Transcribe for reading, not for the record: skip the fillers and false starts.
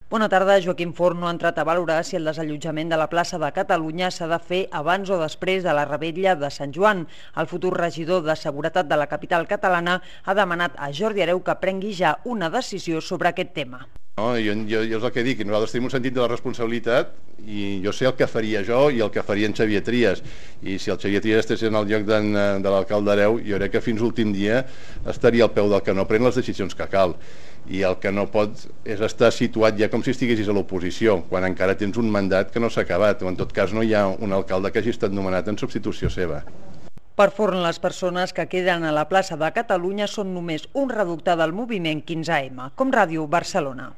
Bona tarda. Joaquim Forn no ha entrat a valorar si el desallotjament de la plaça de Catalunya s'ha de fer abans o després de la revetlla de Sant Joan. El futur regidor de Seguretat de la capital catalana ha demanat a Jordi Hereu que prengui ja una decisió sobre aquest tema. No, jo és el que dic, nosaltres tenim un sentit de la responsabilitat i jo sé el que faria jo i el que faria en Xavier Trias, i si el Xavier Trias estigués en el lloc de l'alcalde Hereu, jo crec que fins l'últim dia estaria al peu del que no pren les decisions que cal, i el que no pot és estar situat ja com si estiguessis a l'oposició, quan encara tens un mandat que no s'ha acabat, o en tot cas no hi ha un alcalde que hagi estat nomenat en substitució seva. Per Forn, les persones que queden a la plaça de Catalunya són només un reducte del moviment 15M, com Ràdio Barcelona.